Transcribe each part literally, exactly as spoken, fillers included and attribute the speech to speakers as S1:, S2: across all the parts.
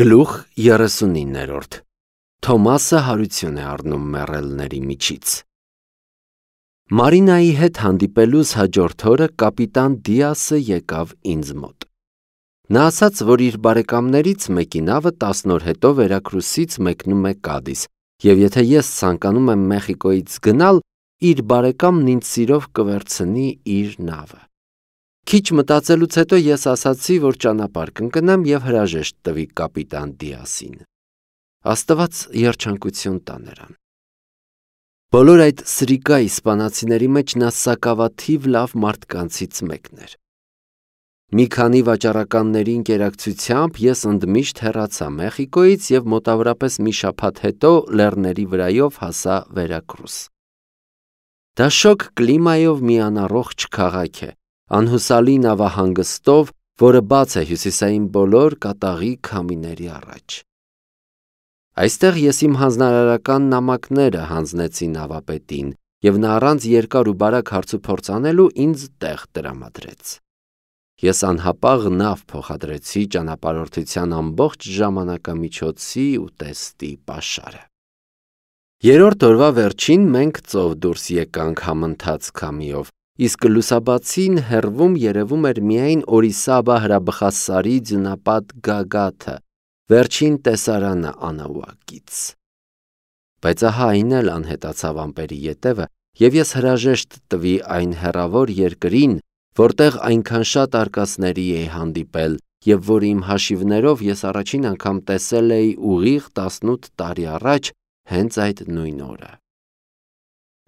S1: Գլուխ երեսունիններորդ Թոմասը հարություն է առնում մեռելների միջից։ Մարինայի հետ հանդիպելուս հաջորդ օրը կապիտան Դիասը եկավ ինձ մոտ։ Նա ասաց, որ իր բարեկամներից մեկի նավը տասն օր հետո Վերակրուսից մեկնում է Կադիս, և եթե ես ցանկանում եմ Մեխիկոյից գնալ, իր բարեկամն ինձ սիրով կվերցնի իր նավը։ Քիչ մտածելուց հետո ես ասացի, որ ճանապարհ կընկնեմ և հրաժեշտ տվի կապիտան Դիասին։ Աստված երջանկություն տա նրան։ Բոլոր այդ սրիկա իսպանացիների մեջ նա սակավաթիվ լավ մարդկանցից մեկն էր։ Մի քանի վաճառականների ընկերակցությամբ ես ընդմիշտ հեռացա Մեխիկոյից և մոտավորապես մի շաբաթ հետո լեռների վրայով հասա Վերակրուս։ Դա շոգ կլիմայով մի անառողջ քաղաք է, անհուսալի նավահանգստով, որը բաց է հյուսիսային բոլոր կատաղի քամիների առաջ։ Այստեղ ես իմ հանձնարարական նամակները հանձնեցի նավապետին, և նա առանց երկար ու բարակ հարցուփորձ անելու ինձ տեղ տրամադրեց։ Ես անհապաղ նավ փոխադրեցի ճանապարհորդության ամբողջ ժամանակամիջոցի ու տեստի պաշարը։ Երրորդ օրվա վերջին մենք ծով դուրս եկանք համընթաց քամիով, իսկ լուսաբացին հեռվում երևում էր միայն Օրիսաբա հրաբխասարի ձյունապատ գագաթը, վերջին տեսարանը Անաուակից։ Բայց ահա այն էլ անհետացավ ամպերի ետևը, և ես հրաժեշտ տվի այն հեռավոր երկրին, որտեղ այնքան շատ արկածների էի հանդիպել, և որ իմ հաշիվներով ես առաջին անգամ տեսել էի ուղիղ տասնութ տարի առաջ հենց այդ նույն օրը։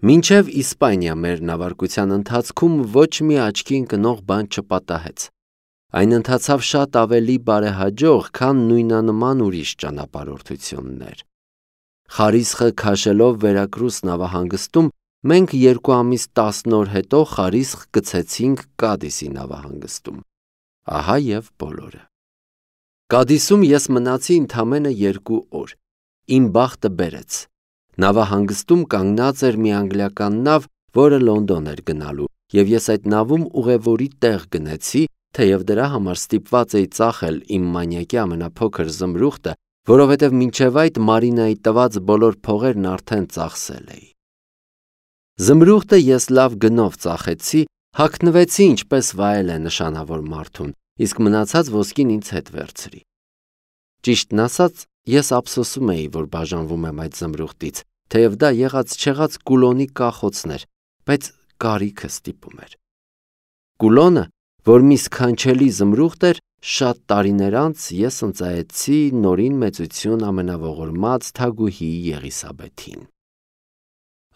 S1: Մինչև Իսպանիա մեր նավարկության ընթացքում ոչ մի աչքի ընկնող բան չպատահեց։ Այն ընթացավ շատ ավելի բարեհաջող, քան նույնանման ուրիշ ճանապարհորդություններ։ Խարիսխը քաշելով Վերակրուս նավահանգստում, մենք երկու ամիս տասն օր հետո Խարիսխ գցեցինք Կադիսի նավահանգստում։ Ահա և բոլորը։ Կադիսում ես մնացի ընդամենը երկու օր։ Իմ բախտը բերեց։ Նավահանգստում կանգնած էր մի անգլիական նավ, որը Լոնդոն էր գնալու, և ես այդ նավում ուղևորի տեղ գնեցի, թեև դրա համար ստիպված էի ծախել իմ մանյակի ամենափոքր զմրուխտը, որովհետև մինչև այդ Մարինայի տված բոլոր փողերն արդեն ծախսել էի։ Զմրուխտը ես լավ գնով ծախեցի, հագնվեցի ինչպես վայել է նշանավոր մարդուն, իսկ մնացած ոսկին ինձ հետ վերցրի։ Ճիշտն ասած, ես ափսոսում էի, որ բաժանվում եմ այդ զմրուխտից, թեև դա եղած-չեղած կուլոնի կախոցն էր, բայց կարիքը ստիպում էր։ Կուլոնը, որ մի սքանչելի զմրուխտ էր, շատ տարիներ անց ես ընծայեցի Նորին մեծություն ամենաողորմած Թագուհի Եղիսաբեթին։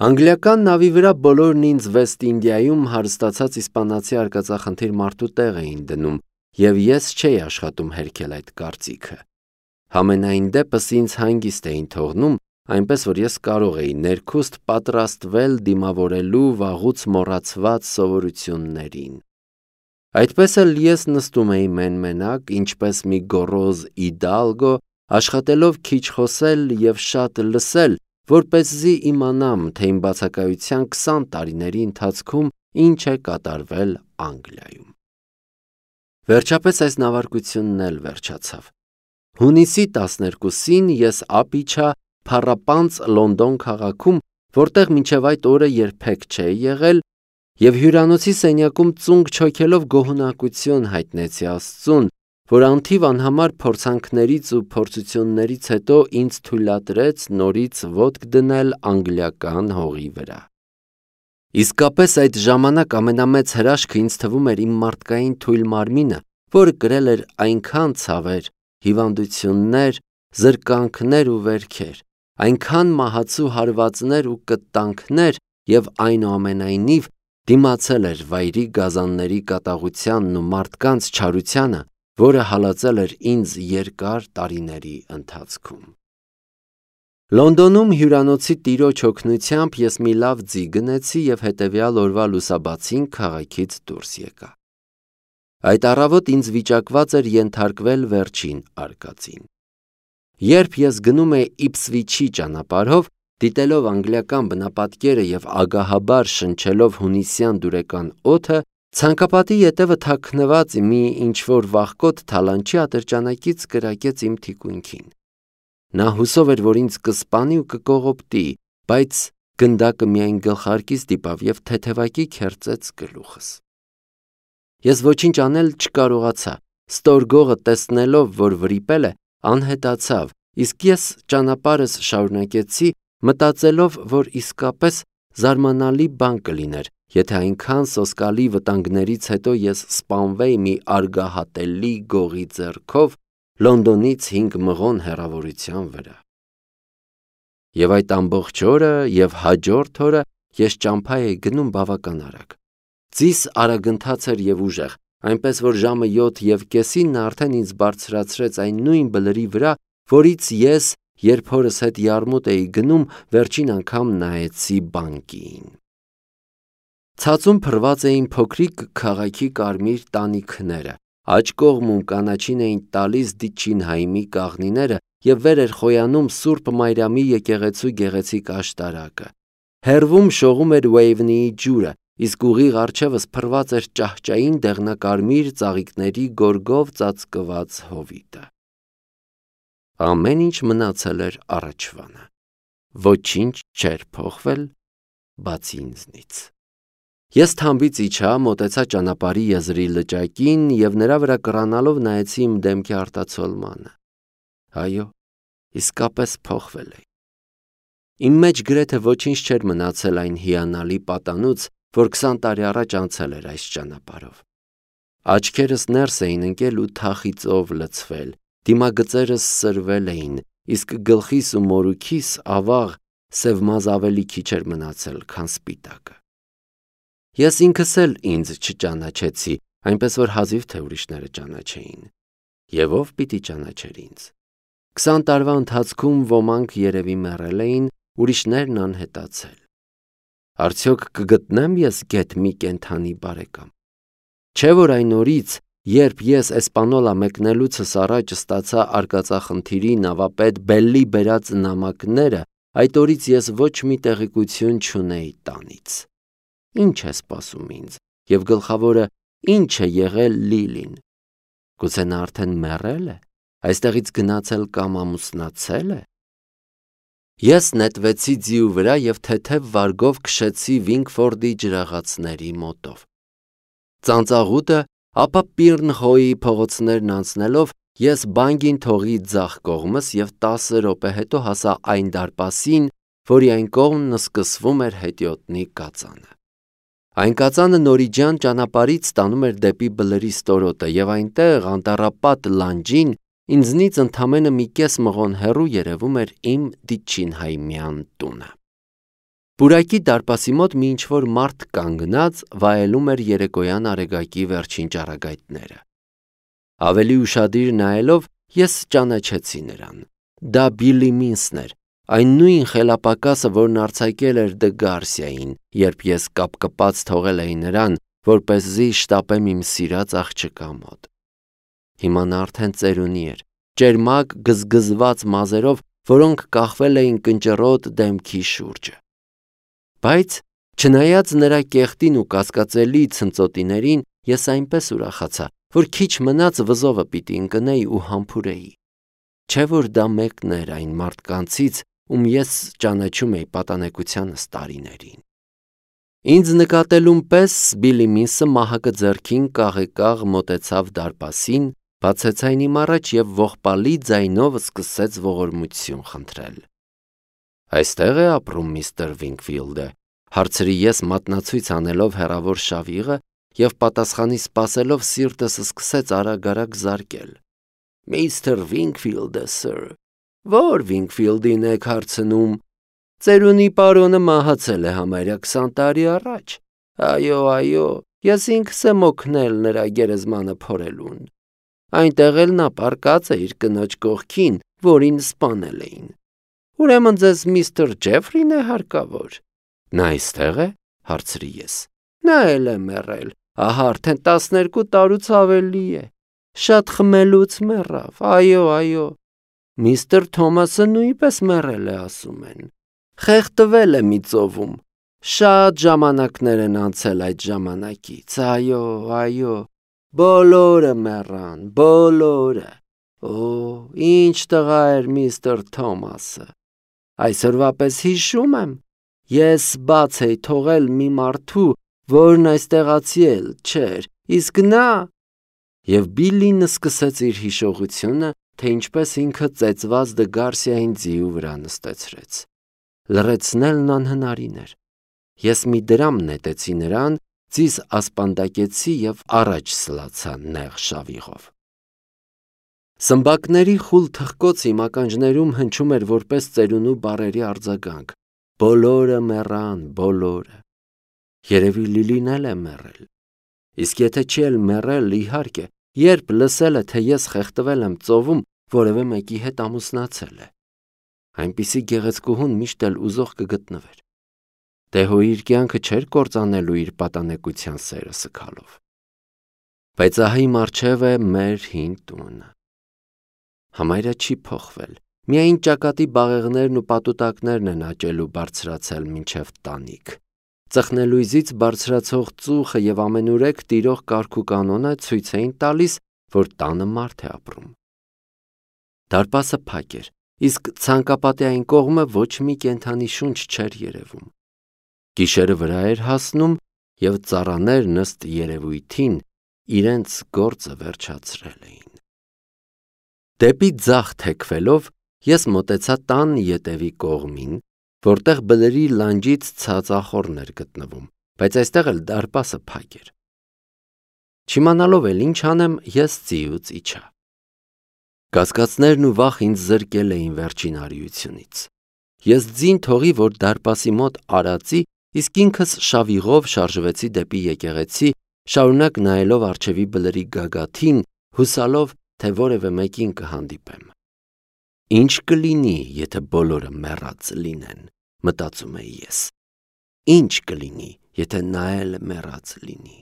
S1: Անգլիական նավի վրա բոլորն ինձ Վեստ Ինդիայում հարստացած իսպանացի արկածախնդիր մարդու տեղ էին դնում, և ես չէի աշխատում հերքել այդ կարծիքը։ Համենայն դեպս ինձ հանգիստ էին թողնում, այնպես որ ես կարող էի ներքուստ պատրաստվել դիմավորելու վաղուց մոռացված սովորություններին։ Այդպես էլ ես նստում էի մեն-մենակ, ինչպես մի գոռոզ իդալգո, աշխատելով քիչ խոսել և շատ լսել, որպեսզի իմանամ, թե իմ բացակայության քսան տարիների ընթացքում ինչ է կատարվել Անգլիայում։ Վերջապես այս նավարկությունն էլ վերջացավ։ Հունիսի տասներկուսին ես ափ իջա փառապանծ Լոնդոն քաղաքում, որտեղ մինչև այդ օրը երբեք չէի եղել, և հյուրանոցի սենյակում ծունկ չոքելով գոհունակություն հայտնեցի Աստծուն, որ անթիվ անհամար փորձանքներից ու փորձություններից հետո ինձ թույլատրեց նորից ոտք դնել անգլիական հողի վրա։ Իսկապես այդ ժամանակ ամենամեծ հրաշքը ինձ թվում էր իմ մարդկային թույլ մարմինը, որը կրել էր այնքան ցավեր, հիվանդություններ, զրկանքներ ու վերքեր, այնքան մահացու հարվածներ ու կտանքներ և այնուամենայնիվ դիմացել էր վայրի գազանների կատաղությանն ու մարդկանց չարությանը, որը հալածել էր ինձ երկար տարիների ընթացքում։ Լոնդոնում հյուրանոցի տիրոջ օգնությամբ ես մի լավ ձի գնեցի և հետևյալ օրվա լուսաբացին քաղաքից դուրս եկա։ Այդ առավոտ ինձ վիճակված էր ենթարկվել վերջին արկածին։ Երբ ես գնում էի Իփսվիչի ճանապարհով, դիտելով անգլիական բնապատկերը և ագահաբար շնչելով հունիսյան դուրեկան օդը, Ցանկապատի ետևը թաքնված մի ինչ-որ վախկոտ թալանչի ատրճանակից կրակեց իմ թիկունքին։ Նա հուսով էր, որ ինձ կսպանի ու կկողոպտի, բայց գնդակը միայն գլխարկից դիպավ և թեթևակի քերծեց գլուխս։ Ես ոչինչ անել չկարողացա, ստորգողը տեսնելով, որ վրիպել է, անհետացավ, իսկ ես ճանապարհս շարունակեցի, մտածելով, որ իսկապես զարմանալի բան կլիներ, եթե այնքան սոսկալի վտանգներից հետո ես սպանվեի մի արգահատելի գողի ձեռքով Լոնդոնից հինգ մղոն հեռավորության վրա։ Եվ այդ ամբողջ օրը և հաջորդ օրը ես ճամփա էի գնում բավական արագ։ Ձիս արագընթաց էր և ուժեղ, այնպես որ ժամը յոթ և կեսին նա արդեն ինձ բարձրացրեց այն նույն բլրի վրա, որից ես, երբ հորս հետ յարմուտ էի գնում, վերջին անգամ նայեցի բանկին։ Ցածում փռված էին փոքրիկ քաղաքի կարմիր տանիքները, աջ կողմում կանաչին էին տալիս Դիչինհայմի կաղնիները և վեր էր խոյանում Սուրբ Մարիամի եկեղեցու գեղեցիկ աշտարակը։ Հեռվում շողում էր Ուեյվնիի ջուրը, իսկ ուղիղ առջևս փռված էր ճահճային դեղնակարմիր ծաղիկների գորգով ծածկված հովիտը։ Ամեն ինչ մնացել էր առաջվանը։ Ոչինչ չէր փոխվել, բացի ինձնից։ Ես թամբից իջա, մոտեցա ճանապարհի եզրի լճակին և նրա վրա կռանալով նայեցի իմ դեմքի արտացոլմանը։ Այո, իսկապես փոխվել էի։ Իմ մեջ գրեթե ոչինչ չէր մնացել այն հիանալի պատանուց, որ քսան տարի առաջ անցել էր այս ճանապարհով։ Աչքերս ներս էին ընկել ու թախիծով լցվել, դիմագծերս սրվել էին, իսկ գլխիս ու մորուքիս ավաղ սև մազ ավելի քիչ էր մնացել, քան սպիտակը։ Ես ինքս էլ ինձ չճանաչեցի, այնպես որ հազիվ թե ուրիշները ճանաչեին։ Եվ ով պիտի ճանաչեր ինձ։ Քսան տարվա ընթացքում ոմանք երևի մեռել էին, ուրիշներն անհետացել։ Արդյոք կգտնեմ ես գեթ մի կենդանի բարեկամ։ Չէ՞ որ այն օրից, երբ ես Էսպանոլա մեկնելուցս առաջ ստացա արկածախնդիրի նավապետ Բելլի բերած նամակները, այդ օրից ես ոչ մի տեղեկություն չունեի տանից։ Ինչ է սպասում ինձ, և գլխավորը, ինչ է եղել Լիլին։ Գուցե նա արդեն մեռել է, այստեղից գնացել կամ ամուսնացել է։ Ես նետվեցի ձիու վրա և թեթև վարգով քշեցի Վինքֆորդի ջրաղացների մոտով։ Ծանծաղուտը, ապա Պիրնխոյի փողոցներն անցնելով, ես Բանգին թողի ձախ կողմս և տասը րոպե հետո հասա այն դարպասին, որի այն կողմն սկսվում էր հետիոտնի կածանը։ Այն կածանը նորիջյան ճանապարհից տանում էր դեպի բլրի ստորոտը, և այնտեղ, անտառապատ լանջին, ինձնից ընդամենը մի կես մղոն հեռու երևում էր իմ Դիչինհայմյան տունը։ Պուրակի դարպասի մոտ մի ինչ-որ մարդ կանգնած վայելում էր երեկոյան արեգակի վերջին ճառագայթները։ Ավելի ուշադիր նայելով, ես ճանաչեցի նրան։ Դա Բիլլի Մինսն էր, այն նույն խելապակասը, որն արձակել էր Դը Գարսիային, երբ ես կապկպած թողել էի նրան, որպեսզի շտապեմ իմ սիրած աղջկա մոտ։ Հիմա նա արդեն ծերունի էր, ճերմակ գզգզված մազերով, որոնք կախվել էին կնճռոտ դեմքի շուրջը։ Բայց չնայած նրա կեղտին ու կասկածելի ցնծոտիներին, ես այնպես ուրախացա, որ քիչ մնաց վզովը պիտի ընկնեի ու համբուրեի։ Չէ՞ որ դա մեկն էր այն մարդկանցից, ում ես ճանաչում էի պատանեկությանս տարիներին։ Ինձ նկատելուն պես Բիլլի Մինսը մահակը ձեռքին կաղեկաղ մոտեցավ դարպասին, բացեց այն իմ առաջ և ողբալի ձայնով սկսեց ողորմություն խնդրել։ Այստե՞ղ է ապրում միստր Վինքֆիլդը, հարցրի ես մատնացույց անելով հեռավոր շավիղը և պատասխանի սպասելով սիրտս սկսեց արագ-արագ զարկել։ Միստր Վինքֆիլդը, սըր, ո՞ր Վինքֆիլդին եք հարցնում։ Ծերունի պարոնը մահացել է համարյա քսան տարի առաջ։ Այո, այո, ես ինքս եմ օգնել նրա գերեզմանը փորելուն։ Այնտեղ էլ նա պառկած է իր կնոջ կողքին, որին սպանել էին։ Ուրեմն ձեզ միստր Ջեֆրին է հարկավոր։ Նա այստե՞ղ է, հարցրի ես։ Նա էլ է մեռել, ահա արդեն տասներկու տարուց ավելի է։ Շատ խմելուց մեռավ, այո, այո։ Միստր Թոմասը նույնպես մեռել է, ասում են։ Խեղդվել է մի ծովում։ Շատ ժամանակներ են անցել այդ ժամանակից, այո, այո, բոլորը մեռան, բոլորը, օ, ինչ տղա էր միստր Թոմասը, այսօրվա պես հիշում եմ, ես բաց էի թողել մի մարդու, որն այստեղացի էլ չէր, իսկ նա, և Բիլլին սկսեց իր հիշողությունը, թե ինչպես ինքը ծեծված Դը Գարսիային ձիու վրա նստեցրեց, լռեցնելն անհնարին էր, ես մի դրամ նետեցի նրան, ձիս ասպանդակեցի և առաջ սլացա նեղ շավիղով։ Սմբակների խուլ թխկոց իմ ականջներում հնչում էր որպես ծերունու բառերի արձագանք, բոլորը մեռան, բոլորը, երևի Լիլին էլ է մեռել, իսկ եթե չի էլ մեռել, իհարկե, երբ լսել է, թե ես խեղդվել եմ ծովում, որևէ մեկի հետ ամուսնացել է, այնպիսի գեղեցկուհուն միշտ էլ ուզող կգտնվեր, դե հո իր կյանքը չէր կործանելու իր պատանեկության սերը սգալով, բայց ահա իմ առջև է մեր հին տունը, համարյա չի փոխվել, միայն ճակատի բաղեղներն ու պատուտակներն են աճել ու բարձրացել մինչև տանիք, ծխնելույզից բարձրացող ծուխը և ամենուրեք տիրող կարգ ու կանոնը ցույց էին տալիս, որ տանը մարդ է ապրում։ Դարպասը փակ էր, իսկ ցանկապատի այն կողմը ոչ մի կենդանի շունչ չէր երևում։ Գիշերը վրա էր հասնում և ծառաներն ըստ երևույթին իրենց գործը վերջացրել էին։ Դեպի ձախ թեքվելով ես մոտեցա տան ետևի կողմին, որտեղ բլրի լանջից ցած ախոռն էր գտնվում, բայց այստեղ էլ դարպասը փակ էր։ Չիմանալով էլ ինչ անեմ, ես ձիուց իջա։ Կասկածներն ու վախ ինձ զրկել էին վերջին արիությունից։ Ես ձին թողի, որ դարպասի մոտ արածի, իսկ ինքս շավիղով շարժվեցի դեպի եկեղեցի, շարունակ նայելով առջևի բլրի գագաթին, հուսալով, թե որևէ մեկին կհանդիպեմ։ Ինչ կլինի, եթե բոլորը մեռած լինեն, մտածում էի ես։ Ինչ կլինի, եթե նա էլ մեռած լինի։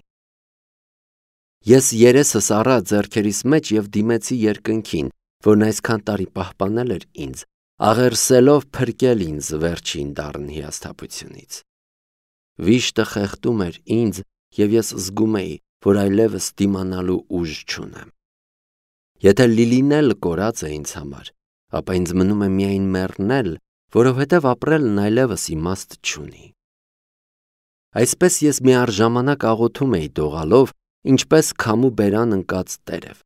S1: Ես երեսս առա ձեռքերիս մեջ և դիմեցի երկնքին, որն այսքան տարի պահպանել էր ինձ, աղերսելով փրկել ինձ վերջին դառն հիասթափությունից։ Վիշտը խեղդում էր ինձ, և ես զգում էի, որ այլևս դիմանալու ուժ չունեմ։ Եթե Լիլին էլ կորած է ինձ համար, ապա ինձ մնում է միայն մեռնել, որովհետև ապրելն այլևս իմաստ չունի։ Այսպես ես միառժամանակ աղոթում էի դողալով, ինչպես քամու բերան ընկած տերև։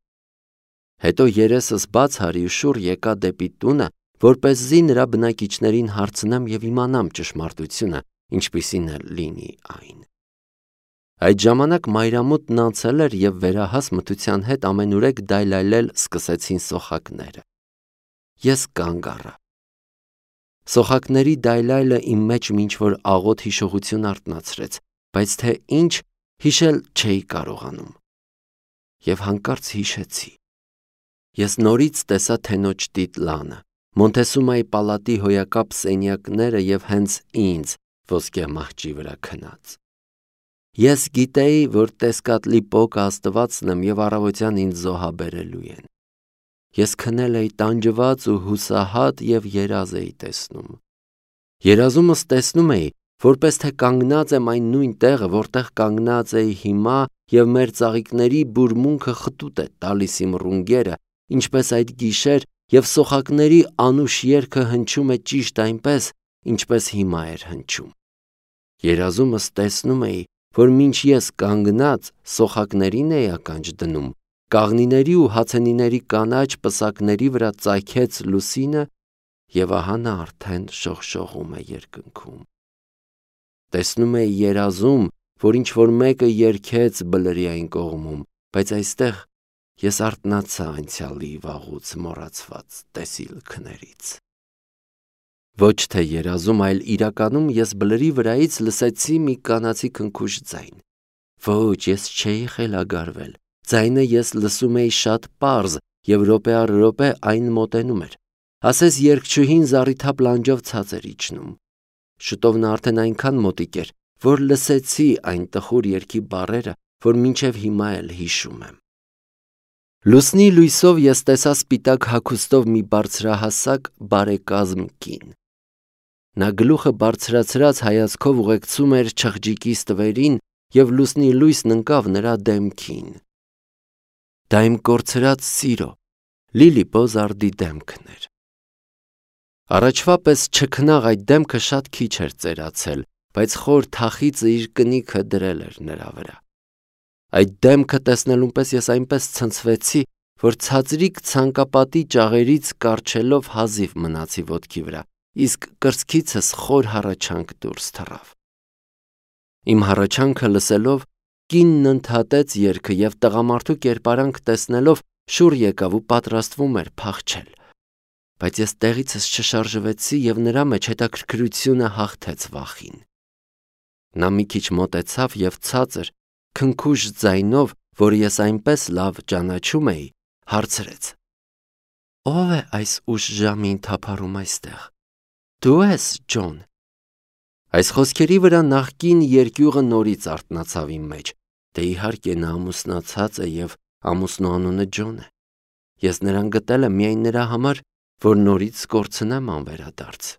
S1: Հետո երեսս բաց արի ու շուռ եկա դեպի տունը, որպեսզի նրա բնակիչներին հարցնեմ և իմանամ ճշմարտությունը, ինչպիսին էլ լինի այն։ Այդ ժամանակ մայրամուտն անցել էր և վերահաս մթության հետ ամենուրեք դայլայլել սկսեցին սոխակները։ Ես կանգ առա։ Սոխակների դայլայլը իմ մեջ ինչ-որ աղոտ հիշողություն արթնացրեց, բայց թե ինչ, հիշել չէի կարողանում։ Եվ հանկարծ հիշեցի։ Ես նորից տեսա թենոջ տիտլանը, Մոնտեսումայի պալատի հոյակապ սենյակները և հենց ինձ ոսկե մահճի վրա քնած։ Ես գիտեի, որ Տեսկատլի պոկը Աստվածն եմ և առավոտյան ինձ զոհաբերելու են։ Ես քնել էի տանջված ու հուսահատ և երազ էի տեսնում։ Երազումս տեսնում էի, որպես թե կանգնած եմ այն նույն տեղը, որտեղ կանգնած էի հիմա և մեր ծաղիկների բուրմունքը խտուտ է տալիս իմ ռունգերը, ինչպես այդ գիշեր, և սոխակների անուշ երգը հնչում է ճիշտ այնպես, ինչպես հիմա էր հնչում։ Երազումս տեսնում էի, որ մինչ ես կանգնած սոխակներին էի ականջ դնում, կաղնիների ու հացենիների կանաչ պսակների վրա ծագեց լուսինը և ահա նա արդեն շողշողում է երկնքում։ Տեսնում էի երազում, որ ինչ-որ մեկը երգեց բլրի այն կողմում, բայց այստեղ ես արթնացա անցյալի վաղուց մոռացված տեսիլքներից։ Ոչ թե երազում, այլ իրականում ես բլրի վրայից լսեցի մի կանացի քնքուշ ձայն։ Ոչ, ես չէի խելագարվել, ձայնը ես լսում էի շատ պարզ և րոպե առ րոպե այն մոտենում էր, ասես երգչուհին զառիթափ լանջով ցած էր իջնում։ Շուտով նա արդեն այնքան մոտիկ էր, որ լսեցի այն տխուր երգի բառերը, որ մինչև հիմա էլ հիշում եմ։ Լուսնի լույսով ես տեսա սպիտակ հագուստով մի բարձրահասակ բարեկազմ կին։ Նա գլուխը բարձրացրած հայացքով ուղեկցում էր չղջիկի ստվերին և լուսնի լույսն ընկավ նրա դեմքին։ Դա իմ կորցրած սիրո, Լիլի Բոզարդի դեմքն էր։ Առաջվա պես չքնաղ այդ դեմքը շատ քիչ էր ծերացել, բայց խոր թախիծը իր կնիքը դրել էր նրա վրա։ Այդ դեմքը տեսնելուն պես ես այնպես ցնցվեցի, որ ցածրիկ ցանկապատի ճաղերից կառչելով հազիվ մնացի ոտքի վրա, իսկ կրծքիցս խոր հառաչանք դուրս թռավ։ Իմ հառաչանքը լսելով, կինն ընդհատեց երգը և տղամարդու կերպարանք տեսնելով շուռ եկավ ու պատրաստվում էր փախչել, բայց ես տեղիցս չշարժվեցի և նրա մեջ հետաքրքրությունը հաղթեց վախին։ Նա մի քիչ մոտեցավ և ցածր, քնքուշ ձայնով, որ ես այնպես լավ ճանաչում էի, հարցրեց. «Ո՞վ է այս ուշ ժամին թափառում այստեղ։ Դու ես, Ջոն»։ Այս խոսքերի վրա նախկին երկյուղը նորից արթնացավ իմ մեջ, դե իհարկե նա ամուսնացած է և ամուսնու անունը Ջոն է։ Ես նրան գտել եմ միայն նրա համար, որ նորից կորցնեմ անվերադարձ։